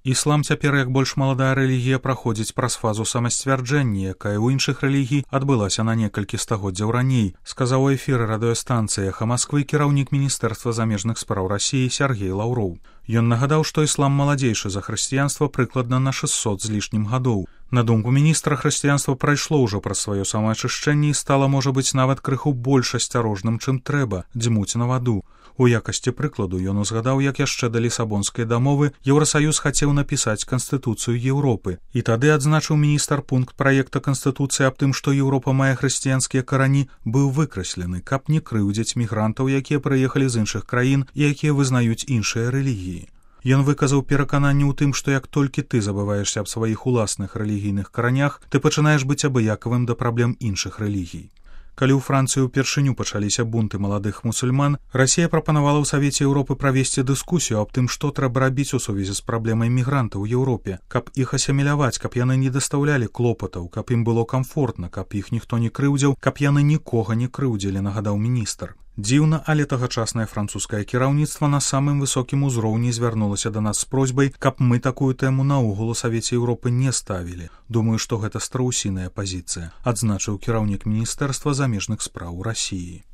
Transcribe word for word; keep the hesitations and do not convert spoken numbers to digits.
Іслам цяпер, як больш маладая рэлігія, праходзіць праз фазу самасцвярджэння, якая ў іншых рэлігій адбылася на некалькі стагоддзяў раней, сказаў у эфіры радыёстанцыі «Эхо Москвы» кіраўнік Міністэрства замежных спраў Расіі Сергей Лаўроў. Ён нагадаў, што іслам маладзейшы за хрысціянства прыкладна на шэсцьсот з лішнім гадоў. На думку міністра, хрысціянства прайшло ўжо праз сваё самаачышчэнне і стала, можа быць, нават крыху больш асцярожным, чым трэба, дзьмуць на ваду. У якасці прыкладу ён узгадаў, як яшчэ да Лісабонскай дамовы Еўрасаюз хацеў напісаць Канстытуцыю Еўропы. І тады адзначыў міністр пункт праекта Канстытуцыі аб тым, што Еўропа мае хрысціянскія карані, быў выкраслены, каб не крыўдзіць мігрантаў, якія прыехалі з іншых краін і якія вызнаюць іншыя рэлігіі. Ён выказаў перакананне ў тым, што як толькі ты забываешся аб сваіх уласных рэлігійных каранях, ты пачынаеш быць абыякавым да праблем іншых рэлігій. Калі ў Францыі ўпершыню пачаліся бунты маладых мусульман, Расія прапанавала ў Савеце Еўропы правесці дыскусію аб тым, што трэба рабіць у сувязі з праблемай мігрантаў у Еўропе, каб іх асіміляваць, каб яны не дастаўлялі клопатаў, каб ім было камфортна, каб іх ніхто не крыўдзіў, каб яны нікога не крыўдзілі, нагадаў міністр. Дзіўна, але тагачаснае французскае кіраўніцтва на самым высокім узроўні звярнулася да нас з просьбай, каб мы такую тэму наогул у Савеце Еўропы не ставілі. Думаю, што гэта страусіная пазіцыя, адзначыў кіраўнік Міністэрства замежных спраў Расіі.